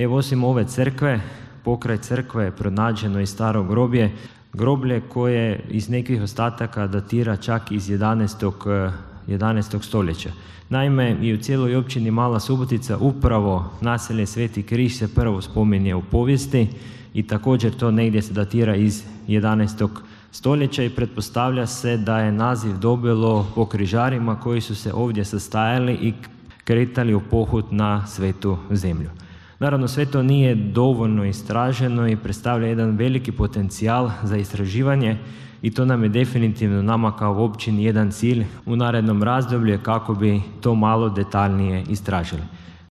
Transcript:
Evo, osim ove crkve, pokraj crkve je pronađeno i staro groblje koje iz nekih ostataka datira čak iz 11. stoljeća. Naime, i u cijeloj općini Mala Subotica upravo naselje Sveti Križ se prvo spominje u povijesti i također to negdje se datira iz 11. stoljeća i pretpostavlja se da je naziv dobilo po križarima koji su se ovdje sastajali i kretali u pohod na Svetu zemlju. Naravno, sve to nije dovoljno istraženo i predstavlja jedan veliki potencijal za istraživanje i to nam je definitivno, nama kao općini, jedan cilj u narednom razdoblju kako bi to malo detaljnije istražili.